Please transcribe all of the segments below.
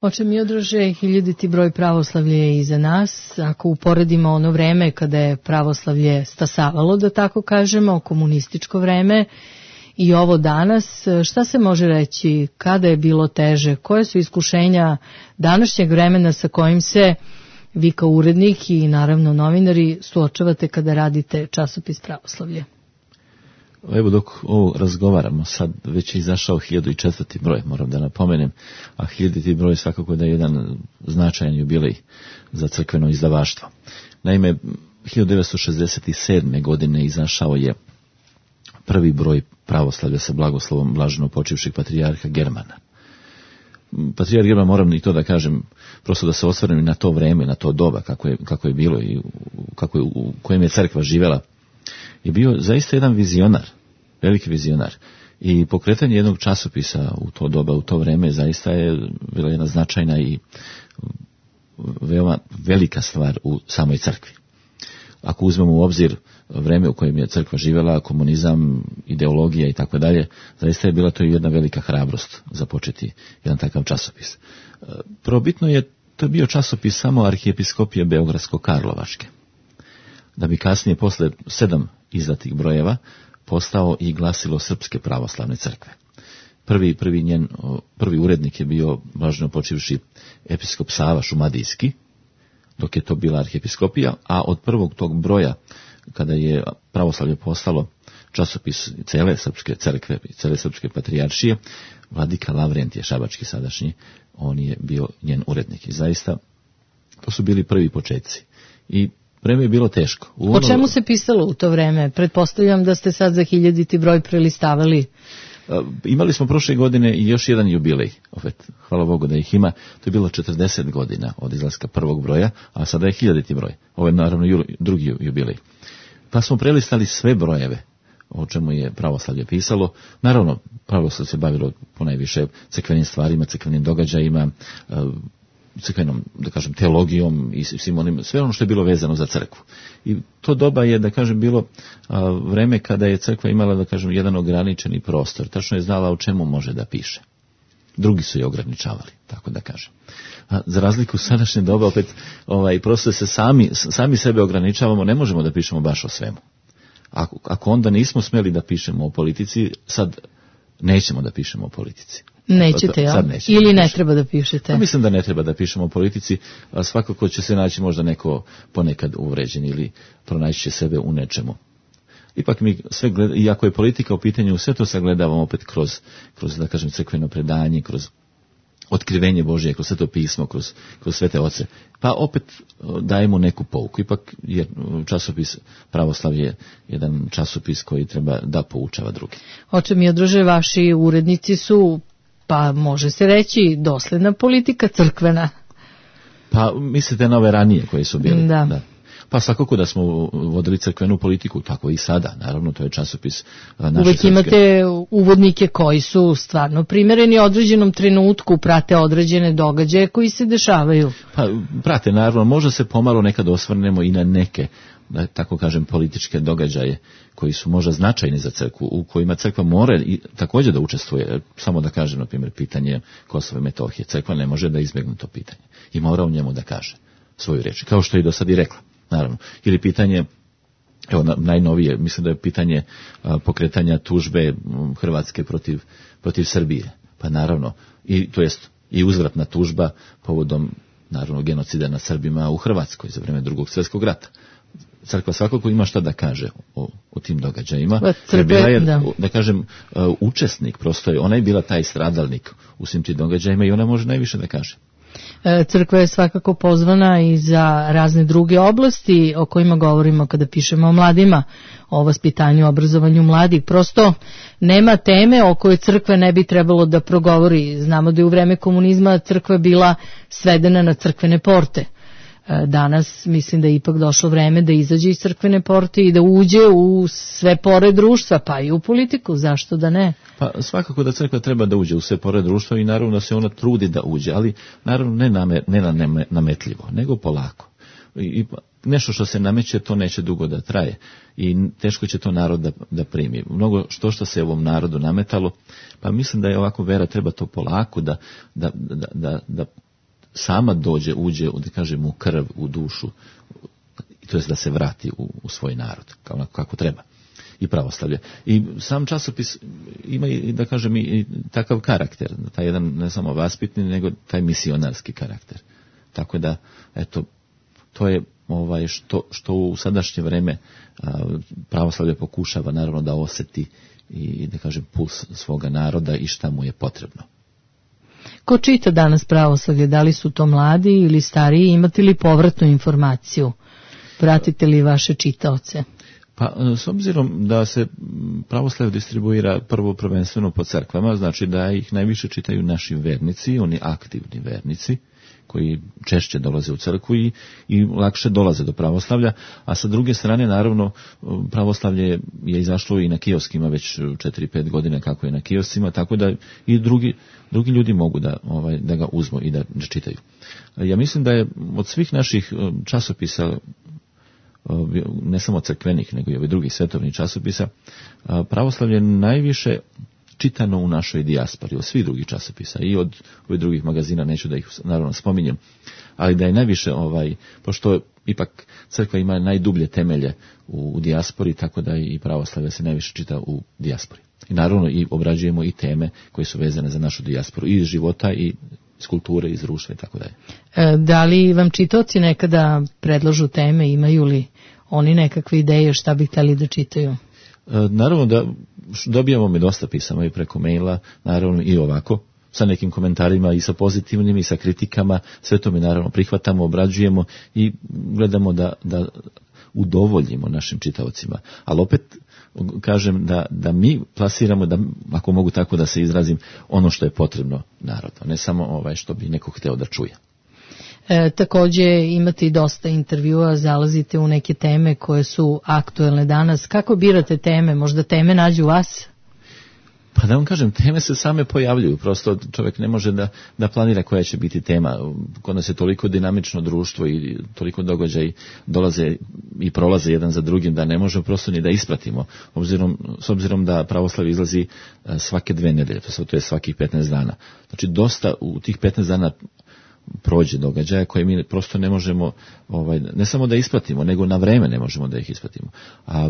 Oče Miodraže, 1000. broj pravoslavlja je iza nas. Ako uporedimo ono vreme kada je pravoslavlje stasavalo, da tako kažemo, komunističko vreme, i ovo danas, šta se može reći, kada je bilo teže, koje su iskušenja današnjeg vremena sa kojim se vi kao urednik i naravno novinari suočavate kada radite časopis Pravoslavlje? Evo dok ovo razgovaramo, sad već je izašao 1004. broj, moram da napomenem, a 1000. broj svakako da je jedan značajan jubilej za crkveno izdavaštvo. Naime, 1967. godine izašao je prvi broj Pravoslavlja sa blagoslovom blaženo počivšeg patrijarha Germana. Patrijarh German, moram i to da kažem, prosto da se osvrnem na to vreme, na to doba kako je bilo i u kojem je crkva živela, je bio zaista jedan vizionar, veliki vizionar. I pokretanje jednog časopisa u to doba, u to vreme, zaista je bila jedna značajna i veoma velika stvar u samoj crkvi. Ako uzmemo u obzir vreme u kojem je crkva živjela, komunizam, ideologija i tako dalje, zaista je bila to jedna velika hrabrost započeti jedan takav časopis. Probitno je, to je bio časopis samo arhijepiskopije Beogradsko-Karlovačke, da bi kasnije posle 7 izdatih brojeva postao i glasilo Srpske pravoslavne crkve. Prvi urednik je bio blaženo počivši episkop Sava Šumadijski, dok je to bila arhijepiskopija, a od prvog tog broja, kada je pravoslavlje postalo časopis cele Srpske crkve i cele Srpske patrijaršije, vladika Lavrentije Šabački sadašnji, on je bio njen urednik. I zaista, to su bili prvi početci. I vreme je bilo teško. O čemu se pisalo u to vreme? Pretpostavljam da ste sad za 1000. broj prelistavali. Imali smo prošle godine i još jedan jubilej, opet, hvala Bogu da ih ima, to je bilo 40 godina od izlaska prvog broja, a sada je 1000. broj. Ovo je naravno drugi jubilej. Pa smo prelistali sve brojeve o čemu je pravoslavlje pisalo. Naravno, pravoslavlje se bavilo ponajviše crkvenim stvarima, crkvenim događajima, crkvenom, da kažem, teologijom i svim onim, sve ono što je bilo vezano za crkvu. I to doba je, da kažem, bilo vreme kada je crkva imala, da kažem, jedan ograničeni prostor. Tačno je znala o čemu može da piše. Drugi su je ograničavali, tako da kažem. Za razliku sadašnje doba, opet, prosto se sami sebe ograničavamo, ne možemo da pišemo baš o svemu. Ako onda nismo smeli da pišemo o politici, sad nećemo da pišemo o politici. Nećete, ja? Ili ne treba da pišete? Mislim da ne treba da pišemo o politici, a svakako će se naći možda neko ponekad uvređen ili pronaći će sebe u nečemu. Ipak mi sve iako je politika u pitanju, sve to sagledavamo opet kroz da kažem, crkveno predanje, kroz otkrivenje Božje, kroz Sveto pismo, kroz svete oce. Pa opet dajemo neku pouku. Ipak je časopis Pravoslavlje jedan časopis koji treba da poučava druge. Oče Miodraže, vaši urednici su, pa može se reći, dosledna politika crkvena. Pa mislite na ove ranije koje su bili? Da. Pa svakako da smo vodili crkvenu politiku, tako i sada. Naravno, to je časopis naše Uvijek srpske. Imate uvodnike koji su stvarno primereni određenom trenutku, prate određene događaje koji se dešavaju. Pa prate, naravno, možda se pomalo nekad osvrnemo i na neke, da tako kažem, političke događaje koji su možda značajni za crkvu, u kojima crkva mora i također da učestvuje. Samo da kažem, na primjer, pitanje Kosova i Metohije. Crkva ne može da izbjegne to pitanje i mora u njemu da kaže svoju riječ, kao što je i do sad i rekla. Naravno. Ili pitanje, evo najnovije, mislim da je pitanje pokretanja tužbe Hrvatske protiv Srbije. Pa naravno, to jest i uzvratna tužba povodom, naravno, genocida nad Srbima u Hrvatskoj za vrijeme Drugog svjetskog rata. Crkva svakako ima šta da kaže o tim događajima. Bila je, da kažem, učesnik, prosto je, ona je bila taj stradalnik u svim tim događajima i ona može najviše da kaže. Crkva je svakako pozvana i za razne druge oblasti o kojima govorimo kada pišemo o mladima, o vaspitanju, obrazovanju mladih. Prosto nema teme o kojoj crkva ne bi trebalo da progovori. Znamo da je u vreme komunizma crkva bila svedena na crkvene porte. Danas mislim da je ipak došlo vreme da izađe iz crkvene porte i da uđe u sve pore društva, pa i u politiku, zašto da ne? Pa svakako da crkva treba da uđe u sve pore društva i naravno da se ona trudi da uđe, ali naravno ne nametljivo, nego polako. I nešto što se nameće, to neće dugo da traje i teško će to narod da primi. Mnogo što se ovom narodu nametalo, pa mislim da je ovako vera, treba to polako da sama uđe, da kažem, u krv, u dušu, to jest da se vrati u svoj narod, kako treba. I pravoslavlje. I sam časopis ima i, da kažem, i takav karakter, taj jedan ne samo vaspitni, nego taj misionarski karakter. Tako da, eto, to je što u sadašnje vreme pravoslavlje pokušava naravno da osjeti i, da kažem, puls svoga naroda i šta mu je potrebno. Ko čita danas pravoslavlje? Da li su to mladi ili stariji? Imate li povratnu informaciju? Pratite li vaše čitaoce? Pa, s obzirom da se pravoslavlje distribuira prvo prvenstveno po crkvama, znači da ih najviše čitaju naši vernici, oni aktivni vernici, koji češće dolaze u crkvu i lakše dolaze do pravoslavlja, a sa druge strane, naravno, pravoslavlje je izašlo i na kioskima već 4-5 godina kako je na kioscima, tako da i drugi ljudi mogu da ga uzmu i da čitaju. Ja mislim da je od svih naših časopisa, ne samo crkvenih, nego i ovih drugih svetovnih časopisa, pravoslavlje najviše čitano u našoj dijaspori, od svih drugih časopisa i od ovih drugih magazina, neću da ih naravno spominjem, ali da je najviše, pošto ipak crkva ima najdublje temelje u dijaspori, tako da i pravoslavlje se najviše čita u dijaspori. I naravno i obrađujemo i teme koje su vezane za našu dijasporu, i iz života, i iz kulture, iz društva i tako dalje. Da li vam čitaoci nekada predlažu teme, imaju li oni nekakve ideje šta bi htjeli da čitaju? Naravno da dobijamo mi dosta pisama i preko maila, naravno i ovako, sa nekim komentarima i sa pozitivnim i sa kritikama, sve to mi naravno prihvatamo, obrađujemo i gledamo da udovoljimo našim čitaocima. Ali opet kažem da mi plasiramo, da, ako mogu tako da se izrazim, ono što je potrebno narodu, ne samo što bi neko hteo da čuje. Također imate i dosta intervjua, zalazite u neke teme koje su aktuelne danas. Kako birate teme? Možda teme nađu vas? Pa da vam kažem, teme se same pojavljuju, prosto čovjek ne može da planira koja će biti tema. Kod nas je toliko dinamično društvo i toliko događaj dolaze i prolaze jedan za drugim da ne možemo prosto ni da ispratimo, s obzirom da pravoslavlje izlazi svake 2 nedelje, to je svakih 15 dana. Znači dosta u tih 15 dana prođe događaja koje mi prosto ne možemo, ne samo da ispratimo, nego na vreme ne možemo da ih ispratimo. A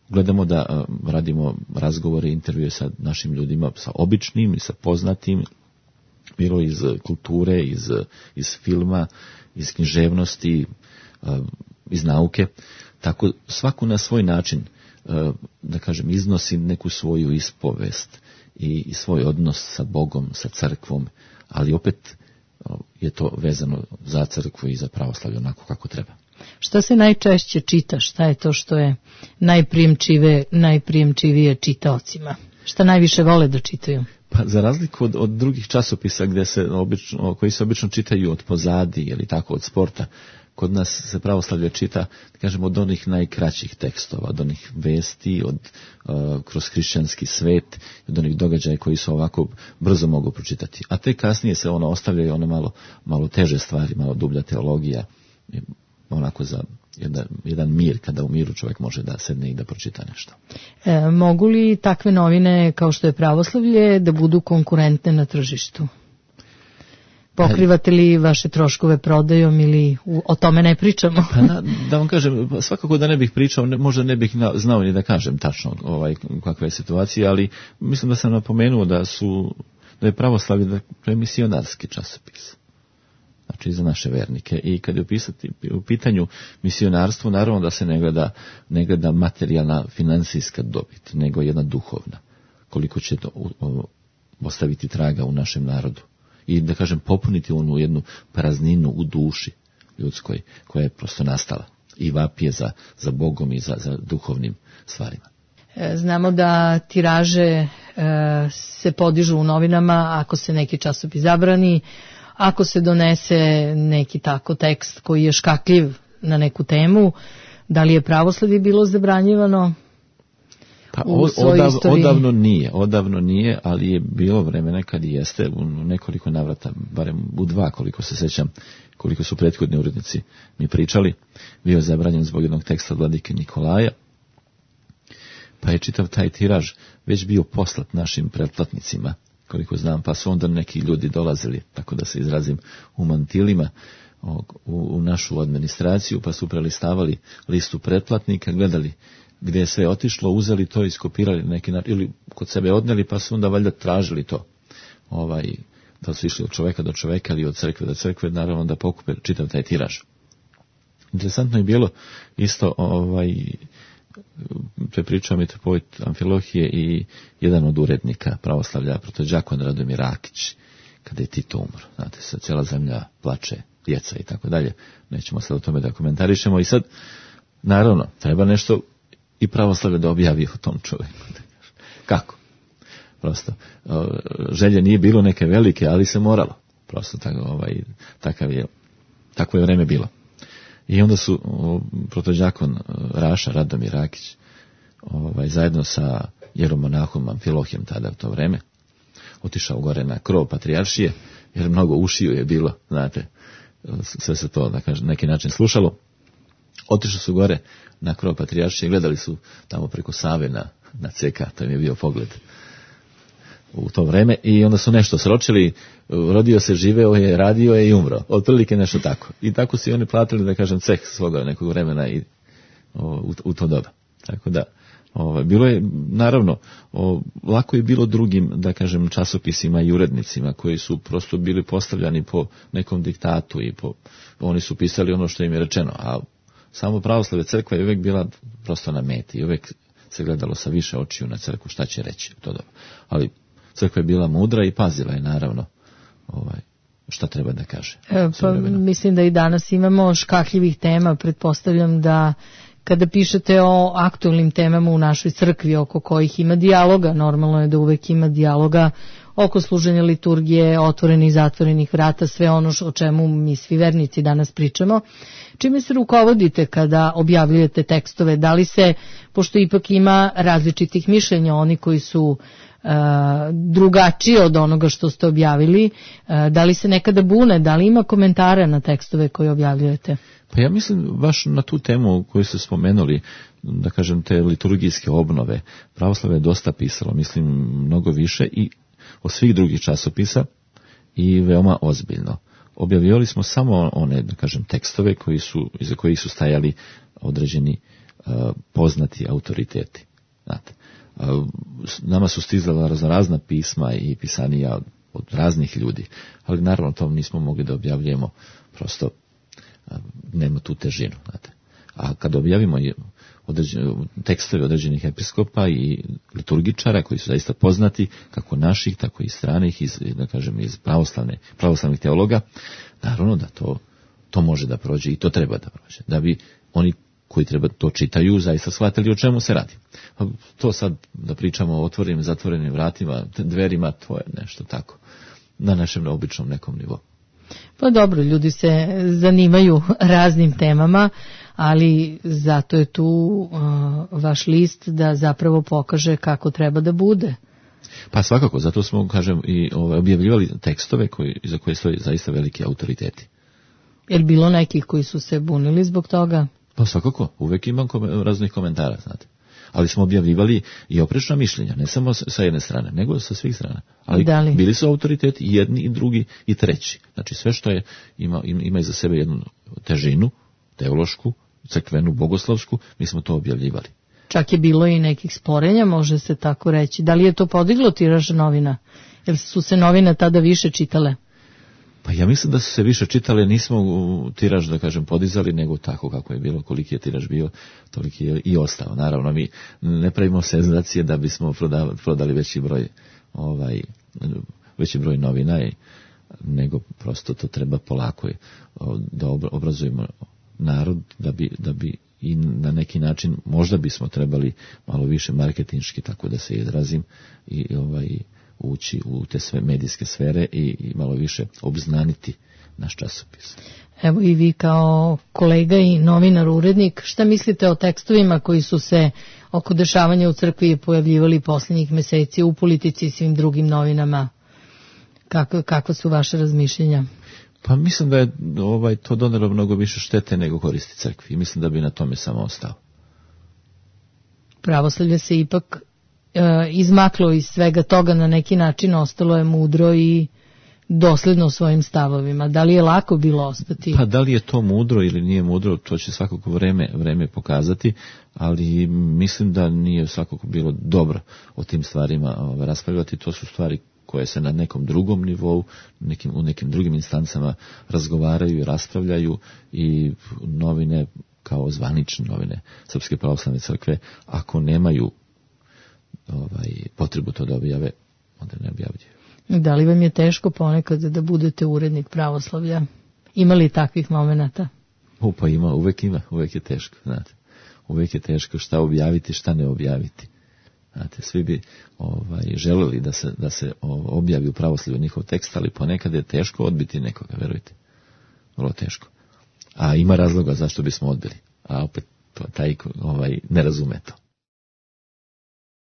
gledamo da radimo razgovore, intervjue sa našim ljudima, sa običnim i sa poznatim, bilo iz kulture, iz filma, iz književnosti, iz nauke. Tako svaku na svoj način, da kažem, iznosi neku svoju ispovest i svoj odnos sa Bogom, sa crkvom, ali opet je to vezano za crkvu i za pravoslavlje onako kako treba. Šta se najčešće čita? Šta je to što je najprijemčivije čitaocima? Šta najviše vole da čitaju? Pa za razliku od drugih časopisa koji se obično čitaju od pozadi ili tako od sporta, kod nas se pravoslavlje čita, kažemo, od onih najkraćih tekstova, od onih vesti, kroz hrišćanski svet, od onih događaja koji se ovako brzo mogu pročitati. A te kasnije se ostavljaju one malo teže stvari, malo dublja teologija, onako za jedan mir, kada u miru čovjek može da sedne i da pročita nešto. Mogu li takve novine kao što je pravoslavlje da budu konkurentne na tržištu? Pokrivate li vaše troškove prodajom ili o tome ne pričamo? Pa da vam kažem, svakako da ne bih pričao, možda ne bih znao ni da kažem tačno kakva je situacija, ali mislim da sam napomenuo da je pravoslavlje da je misionarski časopis. Znači za naše vernike. I kad je u pitanju misionarstvo, naravno da se ne gleda materijalna finansijska dobit, nego jedna duhovna. Koliko će to ostaviti traga u našem narodu. I da kažem popuniti onu jednu prazninu u duši ljudskoj koja je prosto nastala i vapije za Bogom i za duhovnim stvarima. Znamo da tiraže se podižu u novinama ako se neki časopis zabrani, ako se donese neki tako tekst koji je škakljiv na neku temu. Da li je pravoslavlje bilo zabranjivano? Pa odavno nije, ali je bilo vremena kad jeste u nekoliko navrata, barem u 2 koliko se sećam, koliko su prethodni urednici mi pričali, bio je zabranjen zbog jednog teksta od vladike Nikolaja, pa je čitav taj tiraž već bio poslat našim pretplatnicima koliko znam, pa su onda neki ljudi dolazili, tako da se izrazim, u mantilima u našu administraciju, pa su prelistavali listu pretplatnika, gledali gdje je sve otišlo, uzeli to, iskopirali neki ili kod sebe odneli, pa su onda valjda tražili to. Da su išli od čoveka do čoveka ili od crkve do crkve, naravno da pokupe čitav taj tiraž. Interesantno je bilo isto, to je pričao mitropolit Amfilohije i jedan od urednika pravoslavlja, protođakon Radomir Rakić, kada je Tito umro. Znate, sad cijela zemlja plače, djeca i tako dalje. Nećemo sad o tome da komentarišemo. I sad, naravno, treba nešto i pravoslavlje da objavi o tom čovjeku. Kako? Prosto, želje nije bilo neke velike, ali se moralo. Prosto takvo je vreme bilo. I onda su protođakon Raša, Radomir Rakić, zajedno sa jeromonahom Amfilohijem tada u to vreme, otišao gore na krov patrijaršije, jer mnogo ušiju je bilo, znate, sve se to, da kažem, neki način slušalo. Otišli su gore na krov patrijaršije, gledali su tamo preko Save na CK, to im je bio pogled u to vreme, i onda su nešto sročili, rodio se, živeo je, radio je i umro. Otprilike nešto tako. I tako su i oni platili, da kažem, ceh svoga nekog vremena i u to doba. Tako da, bilo je, naravno, lako je bilo drugim, da kažem, časopisima i urednicima koji su prosto bili postavljani po nekom diktatu i oni su pisali ono što im je rečeno, a samo pravoslavlje crkva je uvijek bila prosto na meti i uvijek se gledalo sa više očiju na crkvu šta će reći u to doba. Ali crkva je bila mudra i pazila je, naravno, šta treba da kaže. Mislim da i danas imamo škakljivih tema. Pretpostavljam da kada pišete o aktualnim temama u našoj crkvi oko kojih ima dijaloga, normalno je da uvek ima dijaloga oko služenja liturgije, otvorenih i zatvorenih vrata, sve ono o čemu mi svi vernici danas pričamo. Čime se rukovodite kada objavljujete tekstove? Da li se, pošto ipak ima različitih mišljenja, oni koji su drugačiji od onoga što ste objavili, da li se nekada bune, da li ima komentara na tekstove koje objavljujete? Pa ja mislim baš na tu temu koju ste spomenuli, da kažem, te liturgijske obnove, pravoslavlje je dosta pisalo, mislim mnogo više i od svih drugih časopisa i veoma ozbiljno. Objavljivali smo samo one, da kažem, tekstove iza kojih su stajali određeni poznati autoriteti. Znate, nama su stizala razna pisma i pisanija od raznih ljudi, ali naravno to nismo mogli da objavljujemo, prosto nema tu težinu. Znate. A kad objavimo tekstove određenih episkopa i liturgičara koji su zaista poznati, kako naših, tako i stranih, da kažem, iz pravoslavnih teologa, naravno da to može da prođe i to treba da prođe, da bi oni koji treba to čitaju zaista shvatili o čemu se radi. To sad da pričamo o otvorenim, zatvorenim vratima, dverima, to je nešto tako na našem običnom nekom nivou. Pa dobro, ljudi se zanimaju raznim temama, ali zato je tu vaš list da zapravo pokaže kako treba da bude. Pa svakako, zato smo, kažem, i objavljivali tekstove za koje stoji zaista veliki autoriteti. Je li bilo nekih koji su se bunili zbog toga? Pa svakako, uvijek imam raznih komentara, znate. Ali smo objavljivali i oprečna mišljenja, ne samo sa jedne strane, nego sa svih strana. Ali bili su autoriteti i jedni i drugi i treći. Znači sve što ima iza sebe jednu težinu, teološku, crkvenu, bogoslovsku, mi smo to objavljivali. Čak je bilo i nekih sporenja, može se tako reći. Da li je to podiglo tiraž novina? Jer su se novine tada više čitale? Pa ja mislim da su se više čitale, nismo tiraž, da kažem, podizali, nego tako kako je bilo, koliki je tiraž bio, toliki je i ostao. Naravno, mi ne pravimo senzacije da bismo prodali veći broj novina, nego prosto to treba polako da obrazujemo narod, da bi i na neki način, možda bismo trebali malo više marketinški, tako da se izrazim, i ući u te sve medijske sfere i malo više obznaniti naš časopis. Evo i vi kao kolega i novinar, urednik, šta mislite o tekstovima koji su se oko dešavanja u crkvi pojavljivali posljednjih meseci u Politici i svim drugim novinama? Kakva su vaše razmišljenja? Pa mislim da je to donelo mnogo više štete nego koristi crkvi i mislim da bi na tome samo ostao. Pravoslavlje se ipak izmaklo iz svega toga na neki način, ostalo je mudro i dosledno svojim stavovima. Da li je lako bilo ostati? Pa da li je to mudro ili nije mudro, to će svakako vreme pokazati, ali mislim da nije svakako bilo dobro o tim stvarima raspravljati. To su stvari koje se na nekom drugom nivou, u nekim drugim instancama razgovaraju i raspravljaju, i novine kao zvanične novine Srpske pravoslavne crkve, ako nemaju potrebu to da objave, onda ne objavljuju. Da li vam je teško ponekad da budete urednik pravoslavlja? Ima li takvih momenata? Pa ima, uvek je teško, znate. Uvek je teško šta objaviti, šta ne objaviti. Znate, svi bi želeli da se objavi u pravoslavlju njihov tekst, ali ponekad je teško odbiti nekoga, verujte. Vrlo teško. A ima razloga zašto bismo odbili. A opet taj ne razume to.